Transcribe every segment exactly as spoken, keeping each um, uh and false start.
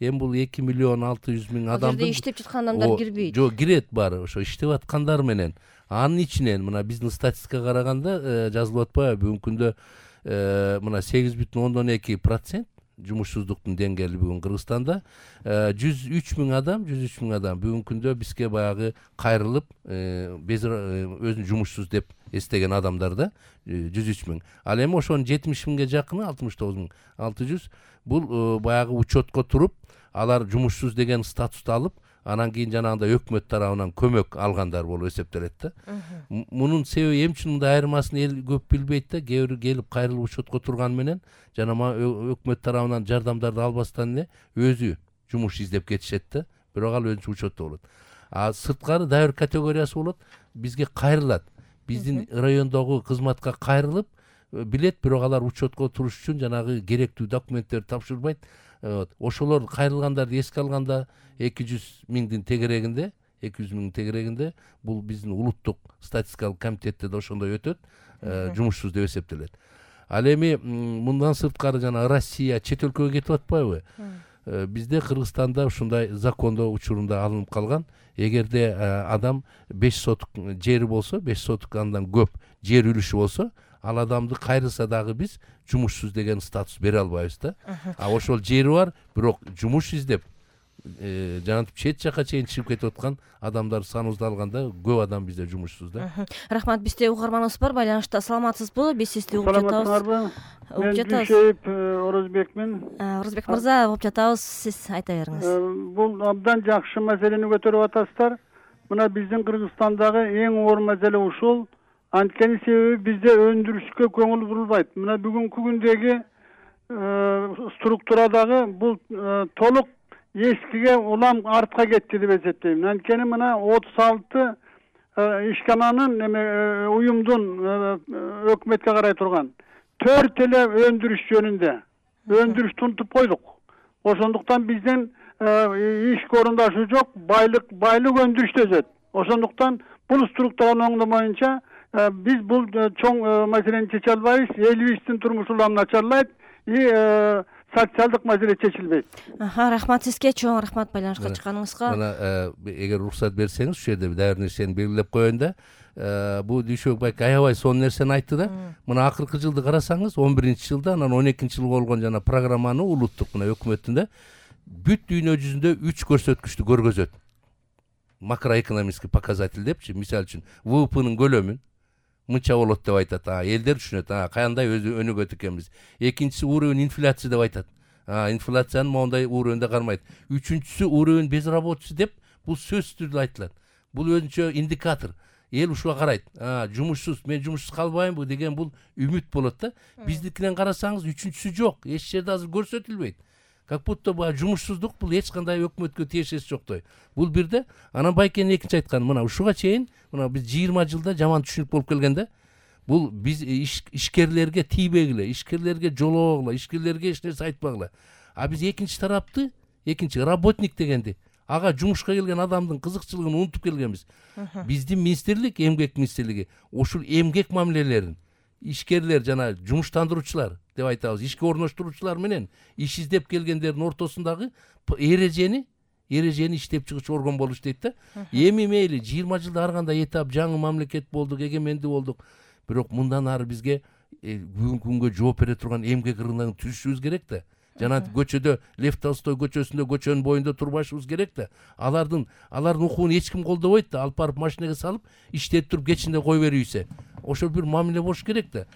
эми бул эки миллион алты жүз миң адамдын ал жерде иштеп жаткан адамдар кирбейт. Жок, кирет баары. Ошо иштеп аткандар менен анын ичинен мына биздин статистикага караганда жазылып атпайбы бүгүнкү күндө мына сегиз бүтүн ондон эки процент жумушсуздуктун деңгээли бүгүн Кыргызстанда жүз үч миң адам, жүз үч миң адам бүгүнкү күндө бизге баягы кайрылып өзүн жумушсуз деп эстеген адамдар да жүз үч миң. Ал эми ошонун жетимиш миңге жакыны алтымыш тогуз миң алты жүз бул баягы учетко туруп, алар жумушсуз деген статусту алып, анан кийин жанагындай өкмөт тарабынан көмөк алгандар болуп эсептелет да. Мунун себеби эмне үчүн мындай айырмасын эл көп билбейт да. Кээ бирөө келип кайрылып учетко турган менен жана өкмөт тарабынан жардамдарды албастан эле өзү жумуш издеп кетишет да. Бирок ал өзүнчө учетто болот. А сырткары дагы бир категориясы болот. Бизге кайрылат. Биздин райондогу кызматка кайрылып билет, бирок алар учетко туруш үчүн жанагы керектүү документтерди тапшырбайт. Ошолор кайрылгандарды эске алганда эки жүз миңдин тегерегинде, эки жүз миңдин тегерегинде бул биздин улуттук статистикалык комитетте да ошондой өтөт, жумушсуз деп эсептелет. Ал эми мындан сырткары жана Россия чет өлкөгө кетип атпайбы? Бизде Кыргызстанда ушундай закондо учурунда алынып калган. Эгерде адам беш сотук жери болсо, беш сотук андан көп жер үлүшү болсо, ал адамды кайрылса дагы биз жумушсуз деген статус бере албайбыз да. А ошол жери бар, бирок жумуш издеп жанагы чет жака чейин чыгып кетип аткан адамдар саныбызды алганда көп адам бизде жумушсуз да. Рахмат, бизде угарманыбыз бар, байланышта. Саламатсызбы? Биз сизди угуп жатабыз. Саламатсыздарбы? Угуп жатабыз. Дүйшөйүп Орозбекмин. Орозбек мырза, угуп жатабыз. Сиз айта бериңиз. Бул абдан жакшы маселени көтөрүп атасыздар. Мына биздин Кыргызстандагы эң оор маселе ушул. Анткени себеби бизде өндүрүшкө көңүл бурулбайт. Мына бүгүнкү күндөгү структурадагы бул толук эскиге улам артка кетти деп эсептейм. Анткени мына отуз алты ишкананын эме уюмдун өкмөткө карай турган төрт эле өндүрүш жөнүндө өндүрүштү унутуп койдук. Ошондуктан биздин иш орундашы жок, байлык байлык өндүрүштө өсөт. Ошондуктан бул структуранын оңдомоюнча биз бул чоң маселени чече албайбыз. Элибиздин турмушу улам начарлайт и социалдык маселе чечилбейт. Аха, рахмат сизге, чоң рахмат байланышка чыкканыңызга. Мына эгер уруксат берсеңиз, ушул жерде дагы бир нерсени белгилеп коеюн да. Бул Дүйшөбек байке аябай сонун нерсени айтты да. Мына акыркы жылды карасаңыз, он биринчи жылда, анан он экинчи жылы болгон жана программаны улуттук мына өкмөттүн да бүт дүйнө жүзүндө үч көрсөткүчтү көргөзөт. Макроэкономический показатель депчи, мисалы үчүн вэ вэ пэнин көлөмүн мынча болот деп айтат. А элдер түшүнөт, а кандай өзү өнүгөт экенбиз. Экинчиси уровень инфляция деп айтат. А инфляциянын моундай уровенде кармайт. Үчүнчүсү уровень безработицы деп бул сөзсүз түрдө айтылат. Бул өзүнчө индикатор. Эл ушуга карайт. А жумушсуз, мен жумушсуз калбаймбы деген бул үмүт болот да. Биздикинен карасаңыз үчүнчүсү жок. Эч жерде азыр көрсөтүлбөйт. Как будто баа жумушсуздук бул эч кандай өкмөткө тиешеси жоктой. Бул бирде. Анан байкенин экинчи айтканы, мына ушуга чейин, мына биз жыйырма жылда жаман түшүнүк болуп келгенде, бул биз ишкерлерге тийбегиле, ишкерлерге жолобогула, ишкерлерге эч нерсе айтпагыла. А биз экинчи тарапты, экинчи работник дегенди, ага жумушка келген адамдын кызыкчылыгын унутуп келгенбиз. Биздин министрлик, эмгек министрлиги ушул эмгек мамилелерин ишкерлер жана жумуштандыруучулар деп айтабыз, ишке орноштуруучулар менен иш издеп келгендердин ортосундагы эрежени эрежени иштеп чыгуучу орган болуш дейт да. Эми мейли жыйырма жылда ар кандай этап жаңы мамлекет болдук, эгемендүү болдук. Бирок мындан ары бизге бүгүнкү күнгө жооп бере турган эмгек рыногун түзүшүбүз керек да. Жана көчөдө Лев Толстой көчөсүндө көчөнүн боюнда турбашыбыз керек да. Алардын алардын укугун эч ким колдобойт да. Алып барып машинеге салып, иштетип туруп кечинде кой берүүсө. Ошол бир мамиле болуш керек да.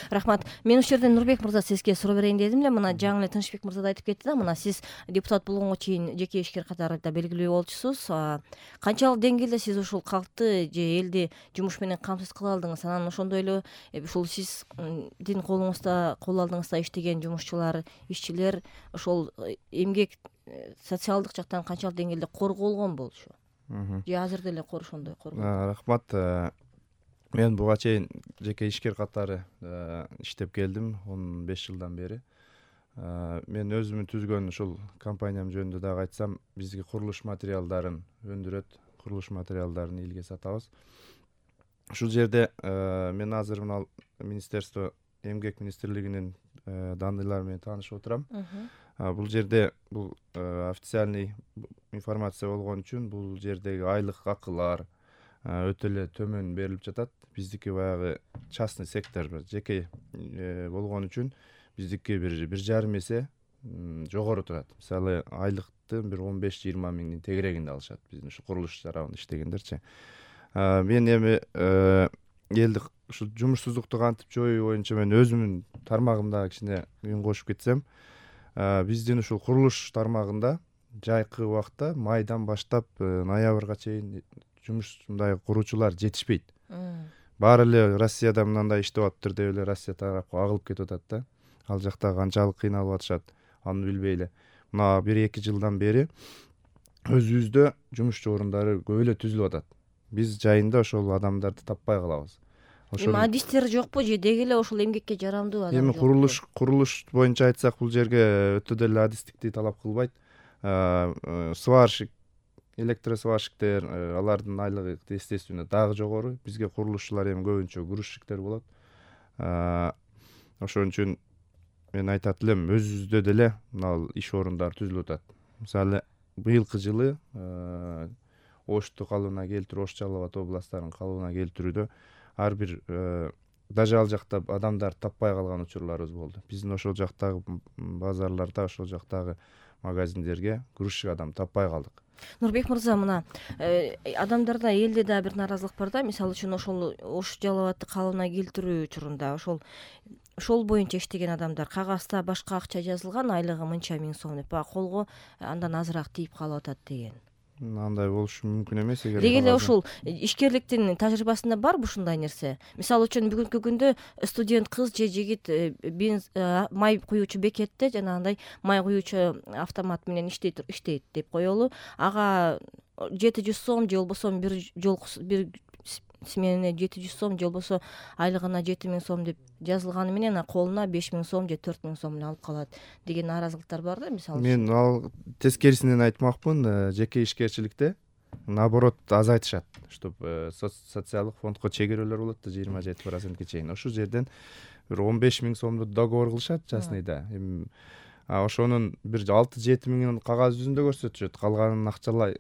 Рахмат. Мен ушул жерден Нурбек мырза сизге суроо берейин дедим эле. Мына жаңы эле Тынчбек мырза да айтып кетти да. Мына сиз депутат болгонго чейин жеке ишкер катарында белгилүү болчусуз. Канчалык деңгээлде сиз ушул калкты же элди жумуш менен камсыз кыла алдыңыз? Анан ошондой эле ушул сиздин колуңузда, кол алдыңызда иштеген жумушчулар, ишчилер ошол эмгек социалдык жактан канчалык деңгээлде корголгон болчу? Же азыр деле ошондой корголот? Рахмат. Мен буга чейин жеке ишкер катары иштеп келдим он беш жылдан бери. Мен өзүмүн түзгөн ушул компаниям жөнүндө дагы айтсам, бизге курулуш материалдарын өндүрөт, курулуш материалдарын элге сатабыз. Ушул жерде мен азыр мына министерство эмгек министрлигинин данныйлары менен таанышып отурам. бул жерде бул официальный информация болгон үчүн бул жердеги айлык акылар өтө эле төмөн берилип жатат. Биздики баягы частный сектор, жеке болгон үчүн биздики бир бир жарым эсе жогору турат. Мисалы айлыкты бир он беш жыйырма миңдин тегерегинде алышат биздин ушу курулуш жарабында иштегендерчи. Мен эми элди ушу жумушсуздукту кантип жоюу боюнча мен өзүмдүн тармагымда кичине үн кошуп кетсем, биздин ушул курулуш тармагында жайкы убакта майдан баштап ноябрга чейин жумуш мындай куруучулар жетишпейт. Баары эле Россияда мындай иштеп атыптыр деп эле Россия тарапка агылып кетип атат да. Ал жакта канчалык кыйналып атышат, аны билбей эле. Мына бир эки жылдан бери өзүбүздө жумушчу орундары көп эле түзүлүп атат. Биз жайында ошол адамдарды таппай калабыз. Эми адистер жокпу же деги эле ошол эмгекке жарамдуу адам? Эми курулуш курулуш боюнча айтсак, бул жерге өтө деле адистикти талап кылбайт. Сварщик, электросварщиктер, алардын айлыгы естественно дагы жогору. Бизге курулушчулар эми көбүнчө грузчиктер болот. Ошон үчүн мен айтат элем, өзүбүздө деле мына иш орундары түзүлүп атат. Мисалы быйылкы жылы Ошту калыбына келтирүү, Ош Жалал Абад областтарынын калыбына келтирүүдө ар бир даже ал жакта адамдар таппай калган учурларыбыз болду. Биздин ошол жактагы базарларда, ошол жактагы магазиндерге грузчик адам таппай калдык. Нурбек мырза, мына адамдарда элде да бир нааразылык бар да. Мисалы үчүн ошол Ош Жалал Абадты калыбына келтирүү учурунда ошол ошол боюнча иштеген адамдар кагазда башка акча жазылган, айлыгы мынча миң сом деп, а колго андан азыраак тийип калып атат деген. Андай болушу мүмкүн эмес. Эгер деги эле ушул ишкерликтин тажрыйбасында барбы ушундай нерсе? Мисалы үчүн бүгүнкү күндө студент кыз же жигит май куюучу бекетте жанагындай май куюучу автомат менен иштейт иштейт деп коелу. Ага жети жүз сом же болбосо бир жол бир смене жети жүз сом же болбосо айлыгына жети миң сом деп жазылганы менен колуна беш миң сом же төрт миң сом алып калат деген нааразылыктар бар да. Мисалы мен ал тескерисинен айтмакмын, жеке ишкерчиликте наоборот азайтышат, чтоб социалдык фондко чегерүүлөр болот да жыйырма жети процентке чейин. Ошол жерден бир он беш миң сомду договор кылышат частныйда. А ошонун бир алты жети миңин кагаз жүзүндө көрсөтүшөт, калганын акчалай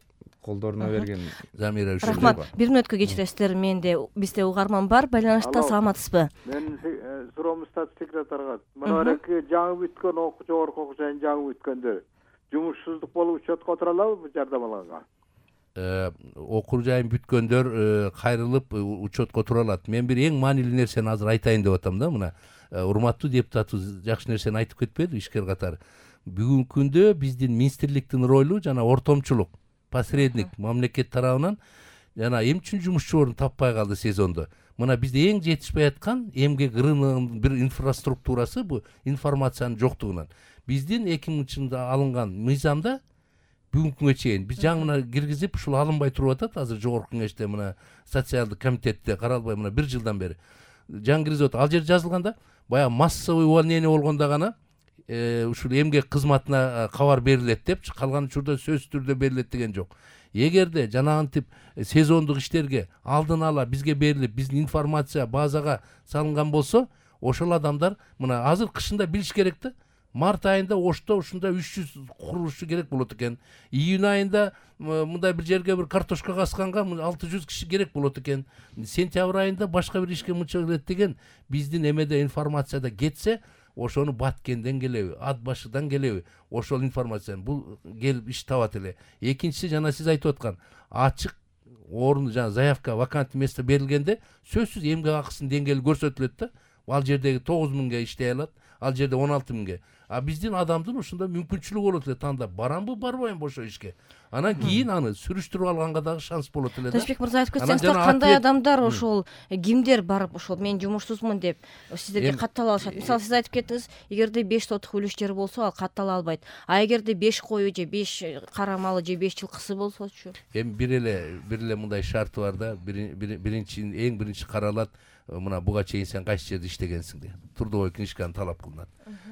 колдоруна берген. Замира үчүн. Рахмат. Бир мүнөткө кечиресиздер, менде бизде угарман бар, байланышта. Саламатсызбы? Мен суроомуз секретарга. Мына эки жаңы бүткөн окуу жогорку окуу жайын жаңы бүткөндөр жумушсуздук болуп учетко отура алабы жардамаланга? Окуу жайын бүткөндөр кайрылып учетко тура алат. Мен бир эң маанилүү нерсени азыр айтайын деп атам да. Мына урматтуу депутатыбыз жакшы нерсени айтып кетпеди ишкер катары. Бүгүнкү күндө биздин министрликтин ролу жана ортомчулук, посредник мамлекет тарабынан жана эмне үчүн жумушчу орун таппай калды сезондо. Мына бизде эң жетишпей аткан эмгек рыногунун бир инфраструктурасы бу информациянын жоктугунан. Биздин эки миңинчи жылда алынган мыйзамда бүгүнкү күнгө чейин биз жаңы киргизип ушул алынбай туруп атат. Азыр жогорку кеңеште мына социалдык комитетте каралбай мына бир жылдан бери жаңы киргизип атат. Ал жерде жазылганда баягы массовый увольнение болгондо гана ушул эмгек кызматына кабар берилет деп, калган учурда сөзсүз түрдө берилет деген жок. Эгерде жанагынтип сезондук иштерге алдын ала бизге берилип, биздин информация базага салынган болсо, ошол адамдар мына азыр кышында билиш керек да. Март айында Ошто ушунда үч жүз курулушчу керек болот экен. Июнь айында мындай бир жерге бир картошка касканга алты жүз киши керек болот экен. Сентябрь айында башка бир ишке мынча келет деген биздин эмеде информацияда кетсе, ошону Баткенден келеби, Ат башыдан келеби, ошол информацияны бул келип иш табат эле. Экинчиси жана сиз айтып аткан ачык орун жана заявка вакантный место берилгенде сөзсүз эмгек акысынын деңгээли көрсөтүлөт да. Ал жердеги тогуз миңге иштей алат, ал жерде он алты миңге. А биздин адамдын ушунда мүмкүнчүлүгү болот эле тандап барамбы, барбайм ошо ишке. Анан кийин аны сүрүштүрүп алганга дагы шанс болот эле да. Тажбек мырза айтып кетсеңиз да, кандай адамдар ошол кимдер барып ошол мен жумушсузмун деп сиздерге каттала алышат? Мисалы сиз айтып кеттиңиз, эгерде беш сотук үлүш жер болсо ал каттала албайт. А эгерде беш кою же беш кара малы же беш жылкысы болсочу? Эми бир эле бир эле мындай шарты бар да. Биринчи эң биринчи каралат, мына буга чейин сен кайсы жерде иштегенсиң деп. Трудовой книжканы талап кылынат.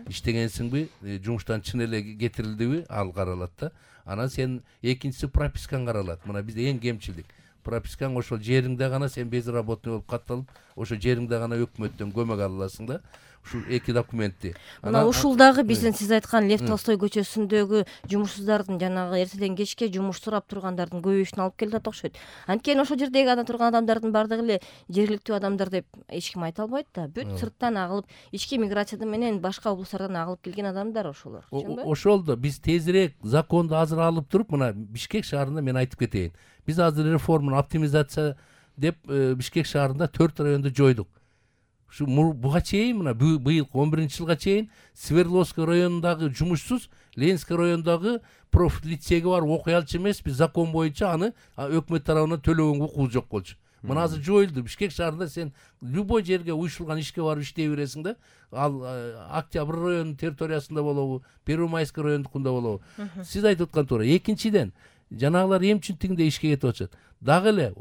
Иштегенсиңби, жумуштан чын эле кетирилдиби, ал каралат да. Анан сен экинчиси пропискаң каралат. Мына бизде эң кемчилдик. Пропискаң ошол жериңде гана сен безработный болуп катталып, ошол жериңде гана өкмөттөн көмөк ала аласың да. ушул эки документти. Мына ушул дагы биздин сиз айткан Лев Толстой көчөсүндөгү жумушсуздардын жанагы эртеден кечке жумуш сурап тургандардын көбөйүшүнө алып келет окшойт. Анткени ошол жердеги анда турган адамдардын баардыгы эле жергиликтүү адамдар деп эч ким айта албайт да. Бүт сырттан агылып, ички миграциядан менен башка облустардан агылып келген адамдар ошолор. Ошол да биз тезирээк законду азыр алып туруп, мына Бишкек шаарында мен айтып кетейин. Биз азыр реформаны оптимизация деп Бишкек шаарында төрт районду жойдук. Ушу буга чейин мына быйыл он биринчи жылга чейин Свердловский районундагы жумушсуз Ленинский райондогу профиль лицейге барып окуй алчу эмеспи, закон боюнча аны өкмөт тарабынан төлөгөнгө укугу жок болчу. Мына азыр жоюлду. Бишкек шаарында сен любой жерге уюшулган ишке барып иштей бересиң да. Ал Октябрь районунун территориясында болобу, Первомайский райондукунда болобу. Сиз айтып аткан туура. Экинчиден, жанагылар эмчиндигинде ишке кетип атышат. Дагы эле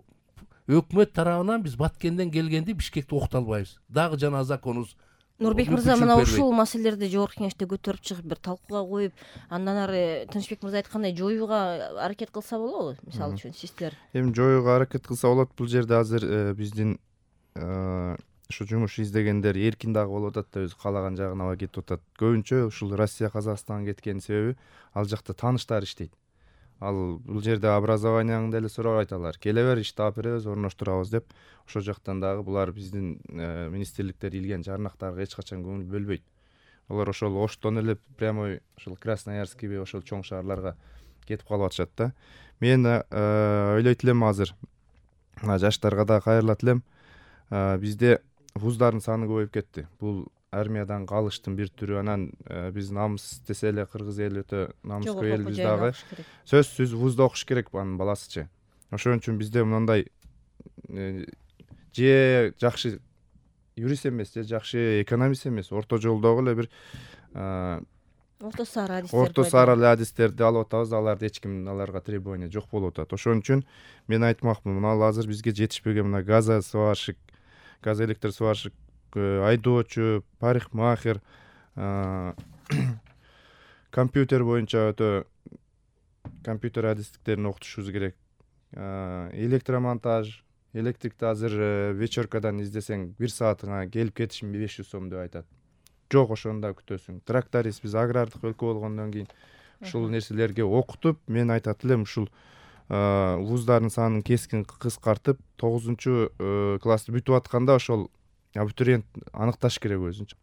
өкмөт тарабынан биз Баткенден келгенди Бишкекте окута албайбыз. Дагы жана законубуз. Нурбек мырза, мына ушул маселелерди жогорку кеңеште көтөрүп чыгып, бир талкууга коюп, андан ары Тынычбек мырза айткандай жоюуга аракет кылса болобу? Мисалы үчүн сиздер. Эми жоюуга аракет кылса болот. Бул жерде азыр биздин ушу жумуш издегендер эркин дагы болуп атат да, өзү каалаган жагына алып кетип атат. Көбүнчө ушул Россия, Казакстанга кеткенин себеби ал жакта тааныштар иштейт. Ал бул жерде образованияңды деле сурап айталар. Келе бер, ишти алып беребиз, орноштурабыз деп. Ошол жактан дагы булар биздин министрликтер илген жарнактарга эч качан көңүл бөлбөйт. Алар ошол Оштон эле прямой ошол Красноярскийби ошол чоң шаарларга кетип калып атышат да. Мен ойлойт элем азыр жаштарга да кайрылат элем. Бизде вуздардын саны көбөйүп кетти. Бул армиядан калыштын бир түрү. Анан биз намыс десе эле кыргыз эли өтө намыскөй элбиз дагы. Сөзсүз вузда окуш керек анын баласычы. Ошон үчүн бизде мындай же жакшы юрист эмес, же жакшы экономист эмес, орто жолдогу эле бир орто сары адистер орто сары адистерди алып атабыз. Аларды эч ким аларга требование жок болуп атат. Ошон үчүн мен айтмакмын, мына азыр бизге жетишпеген мына газосварщик, газоэлектросварщик, айдоочу, парикмахер, компьютер боюнча өтө компьютер адистиктерин окутушубуз керек. Электромонтаж, электрикти азыр вечеркадан издесең бир саатыңа келип кетишим беш жүз сом деп айтат. Жок, ошондо күтөсүң. Тракторист, биз агрардык өлкө болгондон кийин ушул нерселерге окутуп, мен айтат элем ушул вуздардын санын кескин кыскартып, тогузунчу классты бүтүп атканда ошол абитуриент аныкташ керек өзүнчө.